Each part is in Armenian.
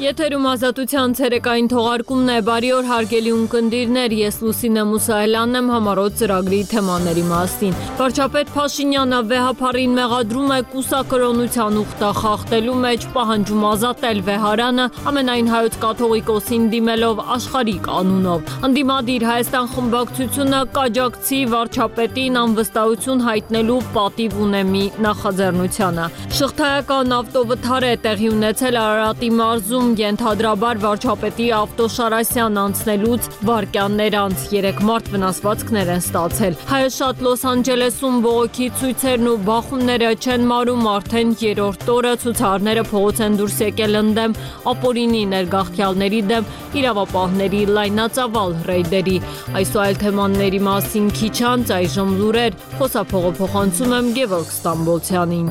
Եթերում ազատության ցերեկային թողարկումն է, բարի օր հարգելի ունկնդիրներ, ես Լուսինե Մուսայելյանն եմ համառոտ ծրագրի թեմաների մասին։ Վարչապետ Փաշինյանը վեհափառին մեղադրում է կուսակրոնության ուխտը խախտելու մեջ, պահանջում ազատել Վեհարանը, ամենայն հայոց կաթողիկոսին դիմելով աշխարհիկ անունով։ Ընդդիմադիր Հայաստան խմբակցությունը կաջակցի վարչապետին անվստահություն հայտնելու պատիվ ունի մի նախաձեռնությանը։ Շղթայական ավտովթար է տեղի ունեցել Արարատի մարզում, ենթադրաբար վարչապետի ավտոշարասյան անցնելուց վայրկյաններ անց 3 մարդ վնասվածքներ են ստացել։ Հայաշատ Լոս Անջելեսում բողոքի ցույցերն ու բախումները չեն մարում, արդեն 3-րդ օրը ցուցարարները փողոց են դուրս եկել ընդդեմ ապօրինի ներգաղթյալների դեմ իրավապահների լայնածավալ ռեյդերի։ Այս ու այլ թեմաների մասին քիչ անց այժմ լուրեր, խոսափողոցում եմ Գևորգ Ստամբոլցյանին։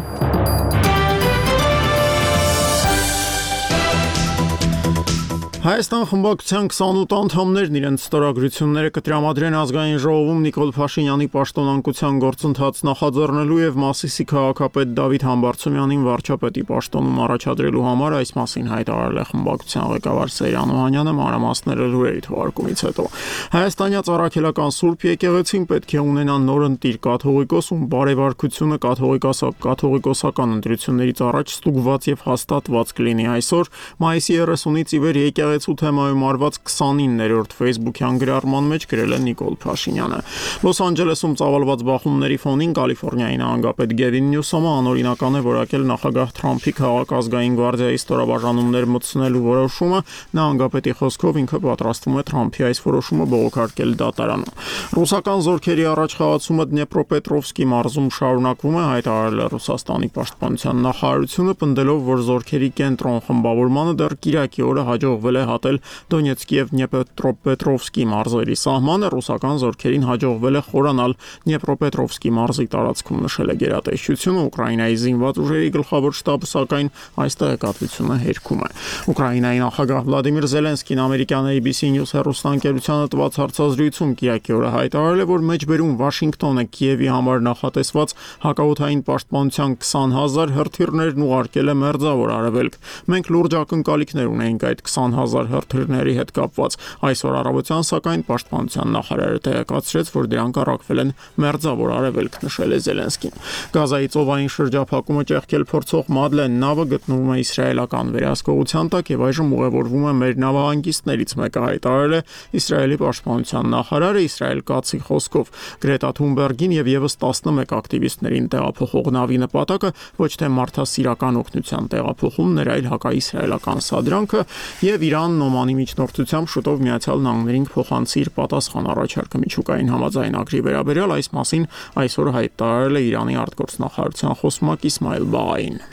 Հայաստան խմբակցության 28 անդամներն իրենց ստորագրությունները կտրամադրեն ազգային ժողովում Նիկոլ Փաշինյանի պաշտոնանկության գործընթաց նախաձեռնելու եւ Մասիսի քաղաքապետ Դավիթ Համբարձումյանին վարչապետի պաշտոնում առաջադրելու համար, այս մասին հայտարարել է խմբակցության ղեկավար Սեյրան Օհանյանը մանրամասները լուրերի թողարկումից հետո։ Հայաստանյաց առաքելական Սուրբ եկեղեցին պետք է ունենա նոր ընտիր կաթողիկոս, ում բարեվարկությունը կաթողիկոսական ընտրություններից առաջ ստուգված եւ հաստատված կլինի։ Այսօր մայիսի 30-ից ի վեր եկեղեցու թեմայում արված 29-րդ Facebook-յան գրառման մեջ գրել է Նիկոլ Փաշինյանը։ Լոս Անջելեսում ծավալված բախումների ֆոնին Կալիֆոռնիայի նահանգապետ Գևին Նյուսոմը անօրինական է որակել նախագահ Թրամփի քաղաքազգային գվարդիայի ստորաբաժանումներ մտցնելու որոշումը։ Նահանգապետի խոսքով ինքը պատրաստվում է Թրամփի այս որոշումը բողոքարկել դատարանում։ Ռուսական զորքերի առաջխաղացումը Դնեպրոպետրովսկի մարզում շարունակվում է, հայտարարել է Ռուսաստանի պաշտպանության նախարարությունը, պնդելով, որ զորքերի կենտրոն խմբավորմանը դեռ կիրակի օրը հաջողվել է հատել Դոնեցկի եւ Դնեպրոպետրովսկի մարզերի սահմանը, ռուսական զորքերին հաջողվել է խորանալ Դնեպրոպետրովսկի մարզի տարածքում, նշել է գերատեսչությունը։ Ուկրաինայի զինված ուժերի գլխավոր շտաբը սակայն այս տեղեկատվությունը հերքում է։ Ուկրաինայի նախագահ Վլադիմիր Զելենսկին ամերիկյան ABC News հեռուստաընկերությանը տված հարցազրույցում կիրակի օրը հայտարարել է, որ մեջբերում Վաշինգտոնը Կիևի համար նախատեսված հակաօդային պաշտպանության 20,000 հրթիռներն ուղարկել է Մերձավոր Արևելք։ Մենք լուրջ ակնկալիքներ ունենք այդ 20,000 հրթիռների հետ կապված։ Այսօր առավոտյան սակայն պաշտպանության նախարարը տեղեկացրեց, որ դրանք առաքվել են Մերձավոր Արևելք, նշել է Զելենսկին։ Գազայի ծովային շրջափակումը ճեղքել փորձող Մադլեն նավը գտնվում է իսրայելական վերահսկողության տակ եւ այժմ ուղևորվում է մեր նավահանգիստներից մեկը, հայտարարել է Իսրայելի պաշտպանության նախարարը Իսրայել Կացի խոսքով։ Գրետա Թունբերգին եւ եւս 11 ակտիվիստներին տեղափոխող նավի նպատակը ոչ թե մարդասիրական օգնության տեղափոխումն էր, այլ հակաիսրայելական սադրանքը եւ Իրանն Օմանի միջնորդությամբ շուտով Միացյալ Նահանգներին կփոխանցի իր պատասխան առաջարկը միջուկային համաձայնագրի վերաբերյալ, այս մասին այսօր հայտարարել է Իրանի արտգործնախարարության խոսնակ Իսմայել Բաղային։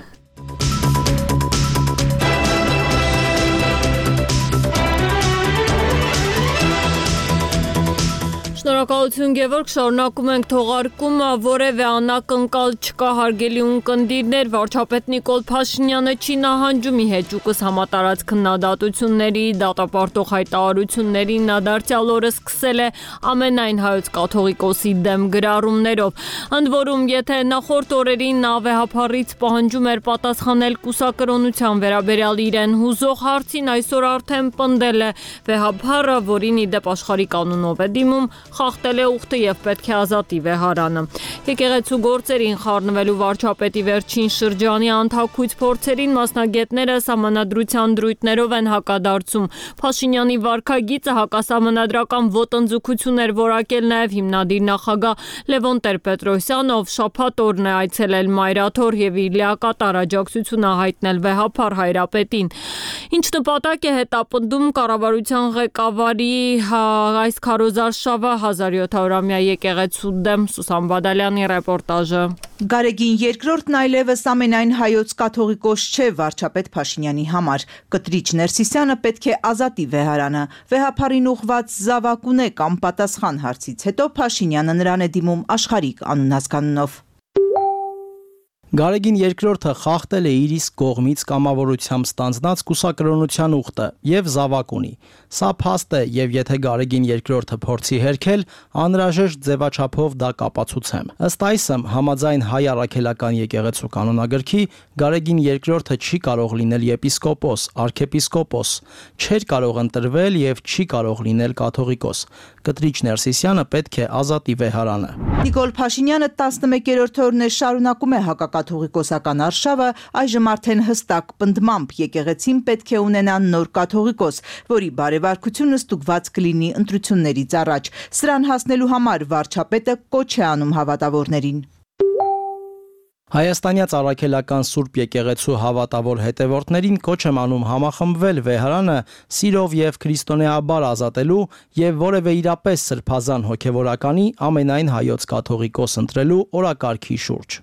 Շնորհակալություն Գևորգ, շարունակում ենք թողարկումը, որևէ անակնկալ չկա հարգելի ունկնդիրներ, վարչապետ Նիկոլ Փաշինյանը չի նահանջում ի հեճուկս համատարած քննադատությունների, դատապարտող հայտարարությունների, նա դարձյալ օրը սկսել է ամենայն հայոց կաթողիկոսի դեմ գրառումներով։ Ընդ որում, եթե նախորդ օրերին նա վեհափառից պահանջում էր պատասխանել կուսակրոնության վերաբերյալ իրեն հուզող հարցին, այսօր արդեն պնդել է վեհափառը, որին ի դեպ աշխարհի կանոնով է դիմում, խախտել է ուխտը եւ պետք է ազատի Վեհարանը։ Եկեղեցու գործերին խառնվելու վարչապետի վերջին շրջանի անթաքույց փորձերին մասնագետները սահմանադրության դրույթներով են հակադարձում։ Փաշինյանի վարքագիծը հակասահմանադրական ոտնձգություն էր որակել նաեւ հիմնադիր նախագահ Լևոն Տեր-Պետրոսյանը, ով շաբաթ օրն է այցելել Մայրաթոր եւ իր լիակատար աջակցությունը հայտնել վեհափառ հայրապետին։ Ինչ նպատակ է հետապնդում կառավարության ղեկավարի այս քարոզարշավը 1700-ամյա եկեղեցու դեմ, Սուսան Բադալյանի ռեպորտաժը։ Գարեգին II-ն այլևս ամենայն հայոց կաթողիկոս չէ վարչապետ Փաշինյանի համար։ Կտրիչ Ներսիսյանը պետք է ազատի Վեհարանը։ Վեհափառին ուղված զավակ ունե կամ պատասխան հարցից հետո Փաշինյանը նրան է դիմում աշխարհիկ անուն հասկանունով։ Գարեգին II խախտել է իր իսկ կողմից կամավորությամբ ստանձնած կուսակրոնության ուխտը եւ զավակ ունի։ Սա փաստ է եւ եթե Գարեգին II փորձի հերքել, անհրաժեշտ ձևաչափով դա կապացուցեմ։ Ըստ այսմ, համաձայն հայ առաքելական եկեղեցու կանոնագրքի, Գարեգին II չի կարող լինել եպիսկոպոս, արքեպիսկոպոս, չէր կարող ընտրվել եւ չի կարող լինել կաթողիկոս։ Կտրիչ Ներսիսյանը պետք է ազատի վեհարանը։ Նիկոլ Փաշինյանը 11-րդ օրն է շարունակում է հակակաթողիկոսական արշավը, այժմ արդեն հստակ պնդմամբ եկեղեցին պետք է ունենա նոր կաթողիկոս, որի բարեվարկությունը ստուգված կլինի ընտրություններից առաջ։ Սրան հասնելու համար վարչապետը կոչ է անում հավատավորներին։ Հայաստանյաց առաքելական Սուրբ եկեղեցու հավատավոր հետևորդներին կոչ եմ անում համախմբվել վեհարանը սիրով եւ քրիստոնեաբար ազատելու եւ որևէ իրապես սրբազան հոգեվորականի ամենայն հայոց կաթողիկոս ընտրելու օրակարգի շուրջ։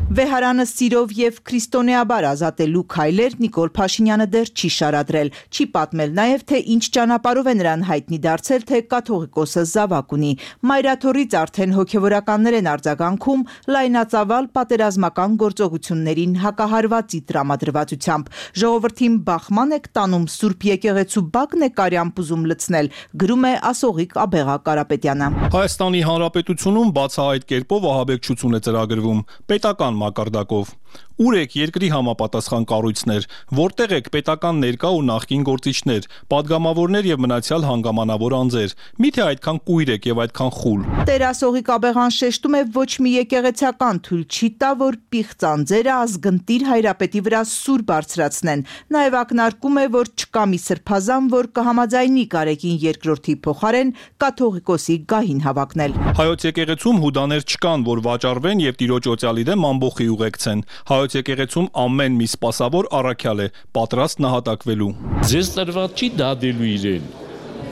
Վեհարանը սիրով եւ քրիստոնեաբար ազատելու քայլեր Նիկոլ Փաշինյանը դեռ չի շարադրել, չի պատմել նաեւ թե ինչ ճանապարհով է նրան հայտնի դարձել, թե կաթողիկոսը զավակ ունի։ Մայրաթորից արդեն հոգեվորականներ են արձագանքում լայնածավալ պատերազմական գործողություններին հակահարվածի տրամադրվածությամբ։ Ժողովրդին բախման եք տանում Սուրբ եկեղեցու բակն է կարյամբ ուզում լցնել, գրում է Ասողիկ Աբեղա Կարապետյանը։ Հայաստանի Հանրապետությունում բացահայտ կերպով ահաբեկչություն է ծրագրվում, պետական մակարդակով։ Ուր եք երկրի համապատասխան կառույցներ, որտեղ եք պետական ներկա ու նախկին գործիչներ, падգամավորներ եւ մնացյալ հանգամանավոր անձեր։ Միթե այդքան կույր եք եւ այդքան խուլ։ Տեր Ասողիկ Աբեղան շեշտում է ոչ մի եկեղեցական թույլ չի տա, որ պիղծ անձերը ազգընտիր հայրապետի վրա սուր բարձրացնեն։ Նաեւ ակնարկում է, որ չկա մի սրբազան, որ կհամաձայնի Գարեգին II-ի փոխարեն կաթողիկոսի գահին հավակնել։ Հայոց եկեղեցում հուդաներ չկան, որ վաճառվեն եւ տիրոջ օծյալի դեմ ամբոխի ուղեկցեն։ Հայոց եկեղեցում ամեն մի սպասավոր առաքյալ է, պատրաստ նահատակվելու։ Ձեզ տրված չի դադելու իրեն։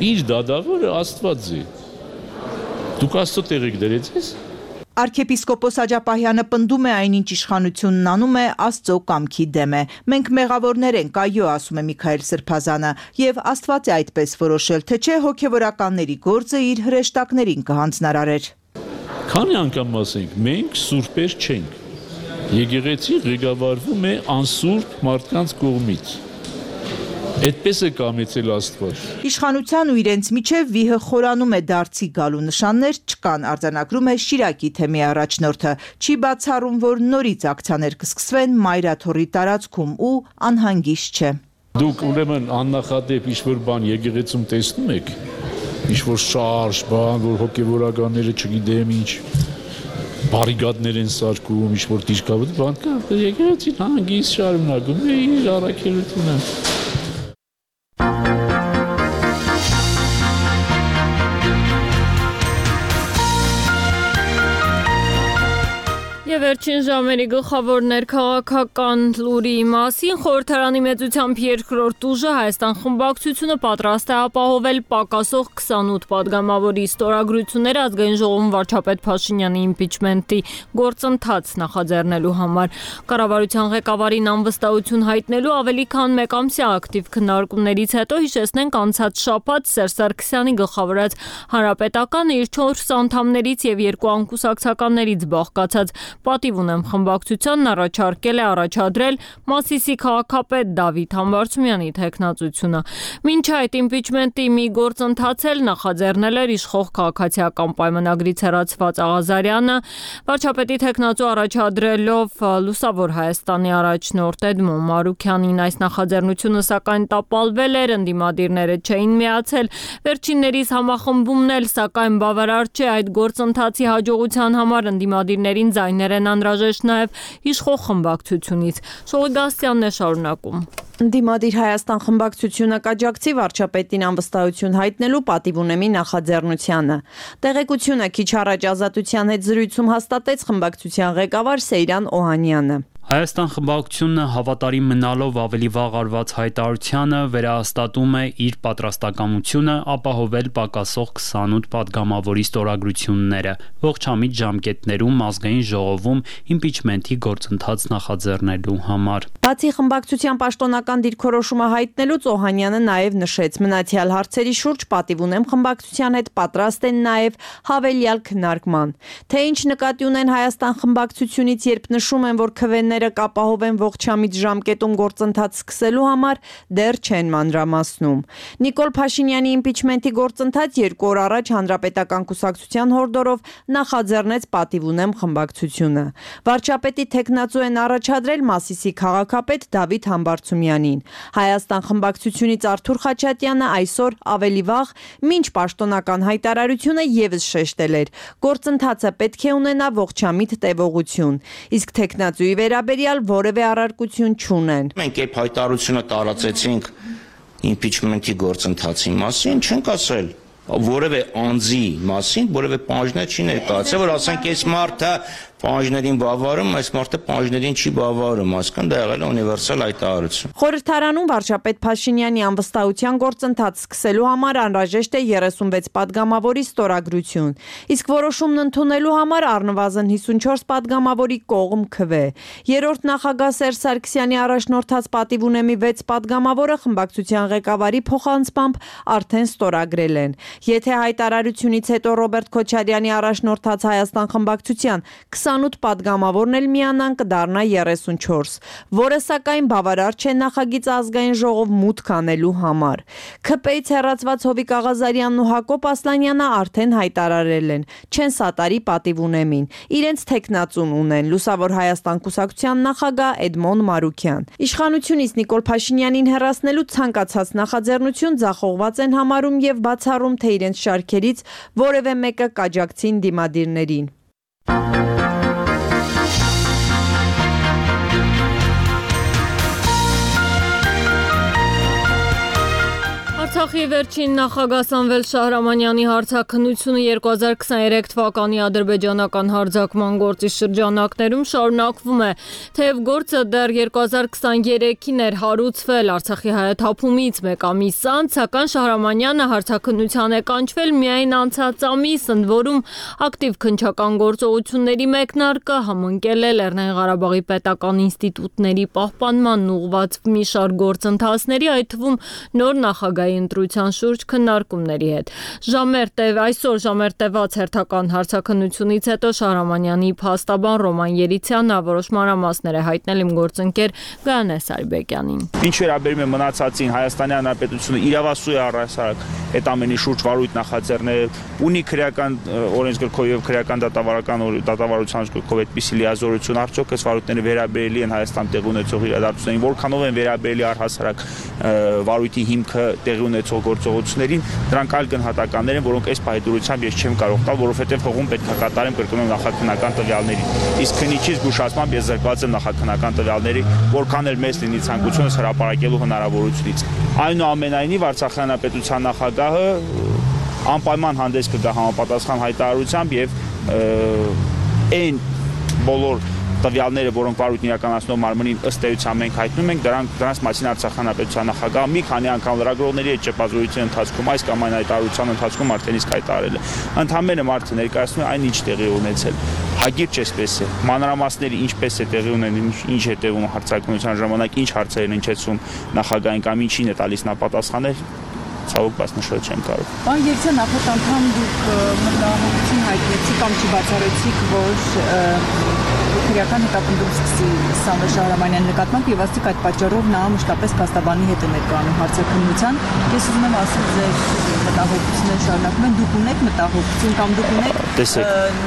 Իր դադավորը Աստված է։ Դուք Աստծո տեղ եք դրեց ես։ Արքեպիսկոպոս Աջապահյանը պնդում է այնինչ իշխանությունն անում է Աստծո կամքի դեմ է։ Մենք մեղավորներ ենք, այո, ասում է Միքայել Սրբազանը, եւ Աստված է այդպես որոշել, թե չէ հոգեվորականների գործը իր հրեշտակներին կհանձնարարեր։ Քանի անգամ ասենք, մենք սուրբեր չենք։ Եկեղեցին ղեկավարվում է անսուրբ մարդկանց կողմից։ Այդպես է կամեցել Աստված։ Իշխանության ու իրենց միջև վիհը խորանում է դարձի գալու նշաններ չկան, արձանագրում է Շիրակի թեմի առաջնորդը։ Չի բացառում, որ նորից ակցիաներ կսկսվեն Մայրաթորի տարածքում ու անհանգիստ չէ։ Դուք ուրեմն աննախադեպ ինչ-որ բան եկեղեցում տեսնում եք, ինչ-որ շարժ, բան, որ հոգեվորականները չգիտեմ ինչ բարիկադներ են սարքում, ինչ-որ դիրքավոր բան կա, եկեղեցին հանգիստ շարունակում է իր առաքելությունը։ Եվ վերջին ժամերի գլխավոր ներքաղաքական լուրի մասին խորհրդարանի մեծությամբ երկրորդ ուժը Հայաստան խմբակցությունը պատրաստ է ապահովել պակասող 28 падգամավորի ստորագրությունները ազգային ժողովում վարչապետ Փաշինյանի իմպիչմենտի գործընթաց նախաձեռնելու համար։ Կառավարության ղեկավարին անվստահություն հայտնելու ավելի քան մեկ ամսյա ակտիվ քննարկումներից հետո հիշեցնենք անցած շաբաթ Սերժ Սարգսյանի գլխավորած Հանրապետականը իր 4 անդամներից եւ 2 անկուսակցականներից բաղկացած Պատիվ ունեմ խմբակցությանն առաջադրել Մասիսի քաղաքապետ Դավիթ Համբարձումյանի թեկնածությունը։ Մինչ այդ իմպիչմենտի մի գործընթաց էլ նախաձեռնել էր իշխող քաղաքացիական պայմանագրից հեռացված Աղազարյանը, վարչապետի թեկնածու առաջադրելով Լուսավոր Հայաստանի առաջնորդ Էդմոն Մարուքյանին։ Այս նախաձեռնությունը սակայն տապալվել էր, ընդդիմադիրները չէին միացել։ Վերջիններիս համախմբումն էլ սակայն բավարար չէ այդ գործընթացի հաջողության համար ընդդիմադիրներին ձայներ են անհրաժեշտ նաև իշխող խմբակցությունից։ Շողիգասյանն է շարունակում։ Ընդդիմադիր Հայաստան խմբակցությունը կաջակցի վարչապետին անվստահություն հայտնելու պատիվ ունեմի նախաձեռնությանը։ Տեղեկությունը քիչ առաջ Ազատության հետ զրույցում հաստատեց խմբակցության ղեկավար Սեյրան Օհանյանը։ Հայաստան խմբակցությունը հավատարիմ մնալով ավելի վաղ արված հայտարարությանը վերահաստատում է իր պատրաստակամությունը ապահովել պակասող 28 падգամավորի ստորագրությունները ողջամիտ ժամկետներում ազգային ժողովում իմպիչմենթի գործընթաց նախաձեռնելու համար։ Բացի խմբակցության պաշտոնական դիրքորոշումը հայտնելուց Օհանյանը նաև նշեց մնացյալ հարցերի շուրջ պատիվ ունեմ խմբակցության հետ պատրաստ են նաև հավելյալ քննարկման։ Թե ինչ նկատի ունեն Հայաստան խմբակցությունից, երբ նշում են, որ քվեները կապահովեն ողջամիտ ժամկետում գործընթաց սկսելու համար, դեռ չեն մանրամասնում։ Նիկոլ Փաշինյանի իմպիչմենթի գործընթաց 2 օր առաջ Հանրապետական կուսակցության հորդորով նախաձեռնեց պատիվ ունեմ խմբակցությունը։ Վարչապետի թեկնածու են առաջադրել Մասիսի քաղաքապետ Դավիթ Համբարձումյանին։ Հայաստան խմբակցությունից Արթուր Խաչատյանը այսօր ավելի վաղ մինչ պաշտոնական հայտարարությունը եւս շեշտել էր. գործընթացը պետք է ունենա ողջամիտ տևողություն, իսկ թեկնածուի վերաբերյալ որևէ առարկություն չունեն։ Մենք երբ հայտարարությունը տարածեցինք իմպիչմենթի գործընթացի մասին, չենք ասել որևէ անձի մասին, որևէ պահանջներ չի ներկայացել, որ ասենք այս մարդը պահանջներին բավարարում, այս մարդը պահանջներին չի բավարարում, այսինքն դա եղել է ունիվերսալ հայտարարություն։ Խորհրդարանում վարչապետ Փաշինյանի անվստահության գործընթաց սկսելու համար անհրաժեշտ է 36 падգամավորի ստորագրություն, իսկ որոշումն ընդունելու համար առնվազն 54 падգամավորի կողմ քվե։ Երրորդ նախագահ Սերժ Սարգսյանի առաջնորդած պատիվ ունեմի 6 падգամավորը խմբակցության ղեկավարի փոխանցմամբ արդեն ստորագրել են։ Եթե հայտարարությունից հետո Ռոբերտ Քոչարյանի առաջնորդած Հայաստան խմբակցության 28 падգամավորն էլ միանան կդառնա 34, որը սակայն բավարար չէ նախագիծ ազգային ժողով մուտք անելու համար։ ՔՊ-ից հեռացված Հովիկ Աղազարյանն ու Հակոբ Ասլանյանը արդեն հայտարարել են, չեն սատարի պատիվ ունեմին, իրենց թեկնածուն ունեն Լուսավոր Հայաստան կուսակցության նախագահ Էդմոն Մարուքյան։ Իշխանությունից Նիկոլ Փաշինյանին հեռացնելու ցանկացած նախաձեռնություն ձախողված են համարում եւ բացառում, թե իրենց շարքերից որևէ մեկը կաջակցին դիմադիրներին։ Արցախի վերջին նախագահ Սամվել Շահրամանյանի հարցաքննությունը 2023 թվականի ադրբեջանական հարձակման գործի շրջանակներում շարունակվում է, թեև գործը դեռ 2023-ին էր հարուցվել Արցախի հայաթափումից մեկ ամիս անց, սակայն Շահրամանյանը հարցաքննության է կանչվել միայն անցած ամիս, ընդ որում ակտիվ քննչական գործողությունների մեկնարկը համընկել է Լեռնային Ղարաբաղի պետական ինստիտուտների պահպանման ուղղված մի շարք գործընթացների, այդ թվում նոր նախագահի ընտրության շուրջ քննարկումների հետ։ Այսօր ժամեր տևած հերթական հարցաքննությունից հետո Շահրամանյանի փաստաբան Ռոման Երիցյանը որոշ մանրամասներ է հայտնել իմ գործընկեր Գայանե Սարիբեկյանին։ Ինչ վերաբերում է մնացածին, Հայաստանի Հանրապետությունը իրավասու է առհասարակ այդ ամենի շուրջ վարույթ նախաձեռնել, ունի քրեական օրենսգրքով եւ քրեական դատավարության գրքով այդպիսի լիազորություն, արդյոք այս վարույթները վերաբերելի են Հայաստան տեղի ունեցող իրադարձություններին, որքանով են վերաբերելի առհասարակ վարույթի հիմքը տեղի ունեցող գործողություններին, դրանք այլ գնահատականներ են, որոնք այս պահեդուրությամբ ես չեմ կարող տալ, որովհետև հողում պետք է կատարեմ կրկնում նախաքննական տվյալներին։ Իսկ քննիչի զգուշացմամբ ես զրկված եմ նախաքննական տվյալների, որքան էլ մեծ լինի ցանկությունս հրապարակելու հնարավորությունից։ Այնուամենայնիվ Արցախի հանրապետության նախագահը անպայման հանդես կգա համապատասխան հայտարարությամբ եւ այն բոլոր տվյալները, որոնք վարույթն իրականացնող մարմնին ըստ էության մենք հայտնում ենք, դրանց մասին Արցախի հանրապետության նախագահը մի քանի անգամ լրագրողների հետ ճեպազրույցի ընթացքում այս կամ այն հայտարարության ընթացքում արդեն իսկ հայտարարել է։ Ընդհանրապես մարդը ներկայացնում է այն, ինչ տեղի ունեցել։ Հագիրճ էսպես է։ Մանրամասները ինչպես է տեղի ունեն, ինչ է տևում հարցաքննության ժամանակ, ինչ հարցեր են հնչեցում նախագահին կամ ինչին է տալիս նա պատասխաներ, ցավոք բայց նշել չեմ կարող։ Պարոն Երիցյան, նախորդ անգամ դուք մտահոգություն հայտնեցիք կամ չբացառեցիք, որ քրեական հետապնդում սկսի Սամվել Շահրամանյանի նկատմամբ եւ ասիկ այդ պատճառով նա մշտապես փաստաբանի հետ է ներկայանում հարցաքննության։ Ես ուզում եմ ասել, ձեր մտահոգությունները շարունակվում են, դուք ունեք մտահոգություն կամ դուք ունեք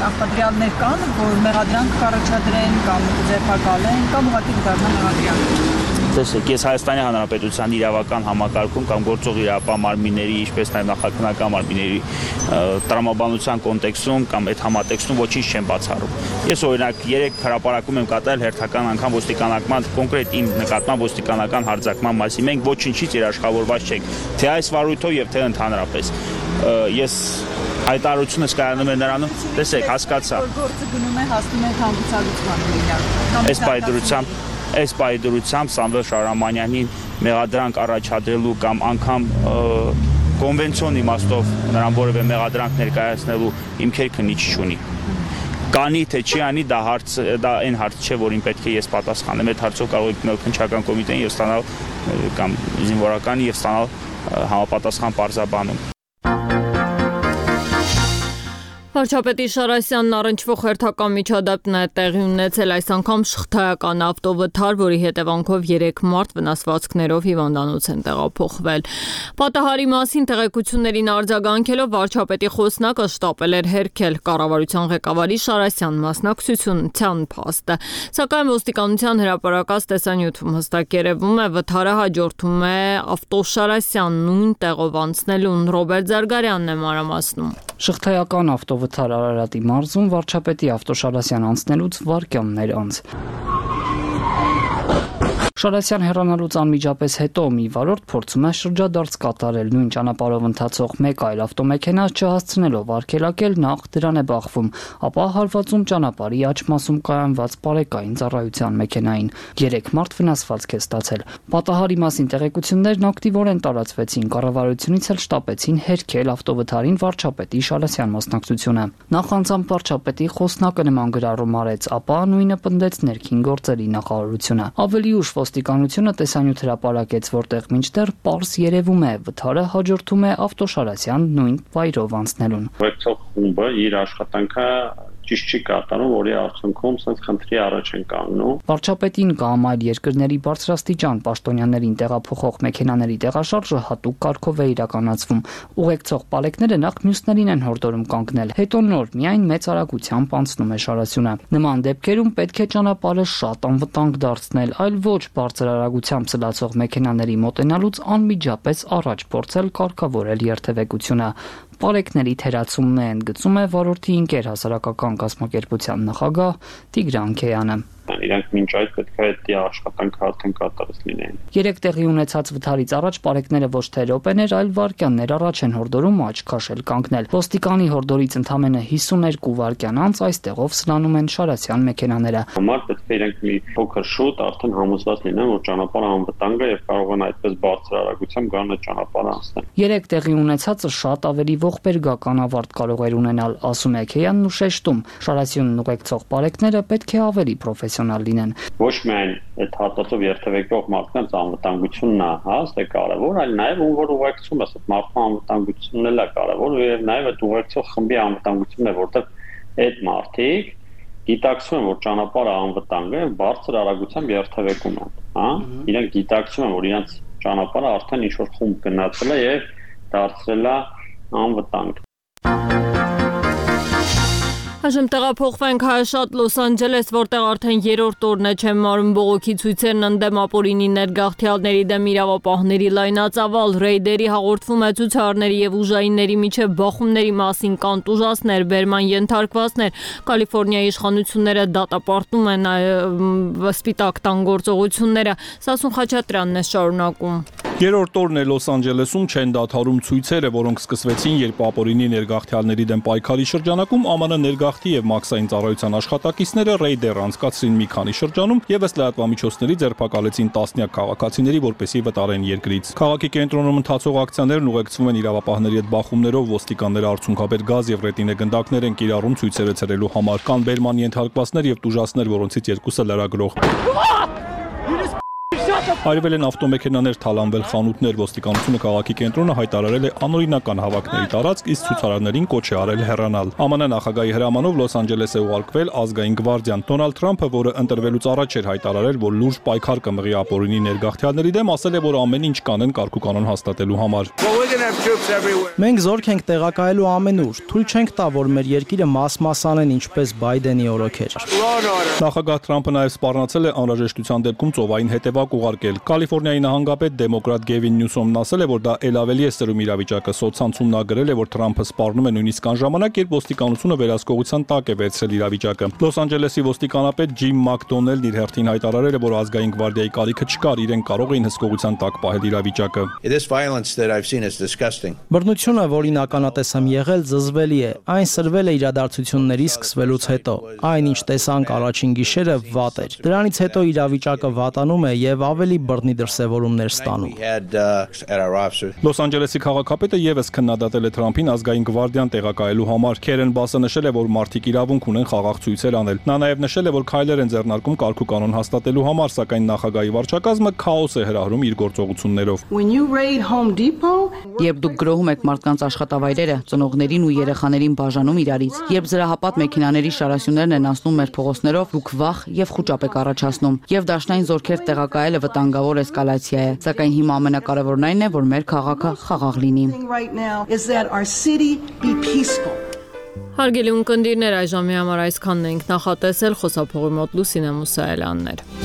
նախադրյալներ կան, որ մեղադրանք կառաջադրեն կամ ձերբակալեն կամ ուղղակի դառնան մեղադրանք։ Տեսեք, ես Հայաստանի Հանրապետության իրավական համակարգում կամ գործող իրավապահ մարմինների, ինչպես նաև նախաքննական մարմինների տրամաբանության կոնտեքստում կամ այդ համատեքստում ոչինչ չեմ բացառում։ Ես օրինակ 3 հրապարակում եմ կատարել հերթական անգամ ոստիկանական կոնկրետ իմ նկատմամբ ոստիկանական հարձակման մասին։ Մենք ոչինչից երաշխավորված չենք, թե այս վարույթով եւ թե ընդհանրապես։ Ես Հայտարարությունը կայանում է նրանում, տեսեք, հասկացա։ Գործը գնում է հասնում է հանգուցալուծման Այս պայդրությամբ Սամվել Շահրամանյանին մեղադրանք առաջադրելու կամ անգամ կոնվենցիոն իմաստով նրան որևէ մեղադրանք ներկայացնելու հիմքեր քննիչ չունի։ Կանի թե չի անի, դա այն հարց չէ, որին պետք է ես պատասխանեմ։ Այդ հարցով կարող եք գնալ քննչական կոմիտեին եւ ստանալ կամ զինվորական եւ ստանալ համապատասխան պարզաբանում։ Վարչապետի Շարասյանն առնչվող հերթական միջադեպն է տեղի ունեցել այս անգամ շղթայական ավտովթար, որի հետևանքով 3 մարդ վնասվածքներով հիվանդանոց են տեղափոխվել։ Պատահարի մասին տեղեկություններին արձագանքելով վարչապետի խոսնակը շտապել էր հերքել կառավարության ղեկավարի Շարասյան մասնակցության փաստը, սակայն ոստիկանության հրապարակած տեսանյութում հստակ երևում է վթարը հաջորդում է ավտոշարասյան նույն տեղով անցնելուն։ Ռոբերտ Զարգարյանն է մանրամասնում։ Շղթայական ավտովթար Արարատի մարզում վարչապետի ավտոշարասյան անցնելուց վայրկյաններ անց։ Շարասյան հեռանալուց անմիջապես հետո մի վարորդ փորձում է շրջադարձ կատարել նույն ճանապարհով ընթացող մեկ այլ ավտոմեքենա չհասցնելով արգելակել նախ դրան է բախվում, ապա հարվածում ճանապարհի աջ մասում կայանված բարեկային ծառայության մեքենային։ 3 մարդ վնասվածք է ստացել։ Պատահարի մասին տեղեկություններն ակտիվորեն տարածվեցին, կառավարությունից էլ շտապեցին հերքել ավտովթարին վարչապետի Շարասյան մասնակցությունը։ Նախ անձամբ վարչապետի խոսնակը նման գրառում արեց, ապա նույնը պնդեց ներքին գործերի նախարարությունը։ Ավելի ուշ ոստիկանությունը տեսանյութ հրապարակեց, որտեղ մինչդեռ պարզ երևում է վթարը հաջորդում է ավտոշարասյան նույն վայրով անցնելուն։ Ուղեկցող խումբը իր աշխատանքը ճիշտ չի կատարում, որի արդյունքում սենց խնդրի առաջ են կանգնում։ Վարչապետին կամ այլ երկրների բարձրաստիճան պաշտոնյաներին տեղափոխող մեքենաների տեղաշարժը հատուկ կարգով է իրականացվում։ Ուղեկցող պալեկները նախ մյուսներին են հորդորում կանգնել, հետո նոր միայն մեծ արագությամբ անցնում է Շարասյունը։ Նման դեպքերում պետք է ճանապարհը շատ անվտանգ դարձնել, այլ ոչ բարձր արագությամբ սլացող մեքենաների մոտենալուց անմիջապես առաջ փորձել կարգավորել երթևեկությունը։ Պարեկների թերացումն է ընդգծում է վարորդի ընկեր հասարակական կազմակերպության նախագահ Տիգրան Քեյանը։ Իրանք մինչ այդ պետք է այդ աշխատանքը արդեն կատարած լինեն։ 3 տեղի ունեցած վթարից առաջ պարեկները ոչ թե րոպեներ, այլ վայրկյաններ առաջ են հորդորում աչք քաշել կանգնել։ Ոստիկանի հորդորից ընդամենը 52 վայրկյան անց այստեղով սլանում են Շարասյան մեքենաները։ Համար պետք է իրանք մի փոքր շուտ արդեն համոզված լինեն, որ ճանապարհը անվտանգ է եւ կարող են այդպես բարձր արագությամբ գան այդ ճանապարհը անցնել։ 3 տեղի ունեցածը շատ ավելի ողբերգական ավարտ կարող էր ունենալ, ասում է Քեյանն ու շեշտում։ Շարասյունն ուղեկցող պարեկները պետք է ավելի պրոֆեսիոնալ լինեն։ Ոչ միայն այդ հատվածով երթևեկող մարդկանց անվտանգությունն է, հա, կարևոր, այլ նաև ում որ ուղեկցում է, այդ մարդու անվտանգությունն էլ է կարևոր եւ նաև այդ ուղեկցող խմբի անվտանգությունն է, որտեղ այդ մարդիկ գիտակցում են, որ ճանապարհը անվտանգ է, բարձր արագությամբ երթևեկում են, հա, իրենք գիտակցում են, որ իրենց ճանապարհը արդեն ինչ-որ խումբ գնացել է եւ դարձել է անվտանգ։ Այժմ տեղափոխվենք հայաշատ Լոս Անջելես, որտեղ արդեն 3-րդ օրն է չեմ մարում բողոքի ցույցերն ընդդեմ ապօրինի ներգաղթյալների դեմ իրավապահների լայնածավալ ռեյդերի հաղորդվում է ցուցարարների եւ ուժայինների միջև բախումների մասին կան տուժածներ, բերման ենթարկվածներ։ Կալիֆոռնիայի իշխանությունները դատապարտում են սպիտակ տան գործողությունները։ Սասուն Խաչատրյանն է շարունակում։ 3-րդ օրն է Լոս Անջելեսում չեն դադարում ցույցերը, որոնք սկսվեցին, երբ ապօրինի ներգաղթյալների դեմ պայքարի շրջանակում ԱՄՆ ներգաղթի եւ մաքսային ծառայության աշխատակիցները ռեյդեր անցկացրին մի քանի շրջանում եւ ըստ լրատվամիջոցների ձերբակալեցին տասնյակ քաղաքացիների, որպեսզի վտարեն երկրից։ Քաղաքի կենտրոնում ընթացող ակցիաներն ուղեկցվում են իրավապահների հետ բախումներով, ոստիկանները արցունքաբեր գազ եւ ռետինե գնդակներ են կիրառում ցույցերը ցրելու համար։ Կան բերման ենթարկվածներ եւ տուժածներ, որոնցից երկուսը լրագրող։ Հայրվել են ավտոմեքենաներ, թալանվել խանութներ, ոստիկանությունը քաղաքի կենտրոնը հայտարարել է անօրինական հավաքների տարածք, իսկ ցուցարարներին կոչ է արել հեռանալ։ ԱՄՆ նախագահի հրամանով Լոս Անջելես է ուղարկվել ազգային գվարդիան։ Դոնալդ Թրամփը, որը ընտրվելուց առաջ էր հայտարարել, որ լուրջ պայքար կմղի ապօրինի ներգաղթյալների դեմ, ասել է, որ ամեն ինչ կանեն կարգուկանոն հաստատելու համար։ Մենք զորք ենք տեղակայելու ամենուր, թույլ չենք տա, որ մեր երկիրը մաս-մաս անեն ինչպես Բայդենի օրոքեր։ Նախագահ Թրամփը նաև սպառնացել է անհրաժեշտության դեպքում ծովային հետևակ ուղարկել դատարկել։ Կալիֆոռնիայի նահանգապետ դեմոկրատ Գևին Նյուսոմն ասել է, որ դա ել ավելի է սրում իրավիճակը։ Սոցցանցում նա գրել է, որ Թրամփը սպառնում է նույնիսկ այն ժամանակ, երբ ոստիկանությունը վերահսկողության տակ է վերցրել իրավիճակը։ Լոս Անջելեսի ոստիկանապետ Ջիմ Մակդոնելն իր հերթին հայտարարել է, որ ազգային գվարդիայի կարիքը չկար, իրեն կարող էին հսկողության տակ պահել իրավիճակը։ Բռնությունը, որին ականատես եմ եղել, զզվելի է։ Այն սրվել է իրադարձությունների սկսվելուց հետո։ Այն, ինչ տեսանք առաջին գիշերը, վատ էր։ Դրանից հետո իրավիճակը վատանում է եւ ավելի բռնի դրսևորումներ ստանում։ Լոս Անջելեսի քաղաքապետը եւս քննադատել է Թրամփին ազգային գվարդիան տեղակայելու համար։ Քերեն Բասը նշել է, որ մարդիկ իրավունք ունեն խաղաղ ցույցեր անել։ Նա նաեւ նշել է, որ քայլեր են ձեռնարկում կարգուկանոն հաստատելու համար, սակայն նախագահի վարչակազմը քաոս է հրահրում իր գործողություններով։ Երբ դուք գրոհում եք մարդկանց աշխատավայրերը, ծնողներին ու երեխաներին բաժանում իրարից, երբ զրահապատ մեքենաների շարասյուներն են անցնում մեր փողոցներով, դուք վախ եւ խուճապ եք առաջացնում, եւ դաշնային զորքեր տեղակայելը վտանգավոր էսկալացիա է, սակայն հիմա ամենակարևորն այն է, որ մեր քաղաքը խաղաղ լինի։ Հարգելի ունկնդիրներ, այժմի համար այսքանն ենք նախատեսել, խոսափողի մոտ Լուսինե Մուսայելյաններ։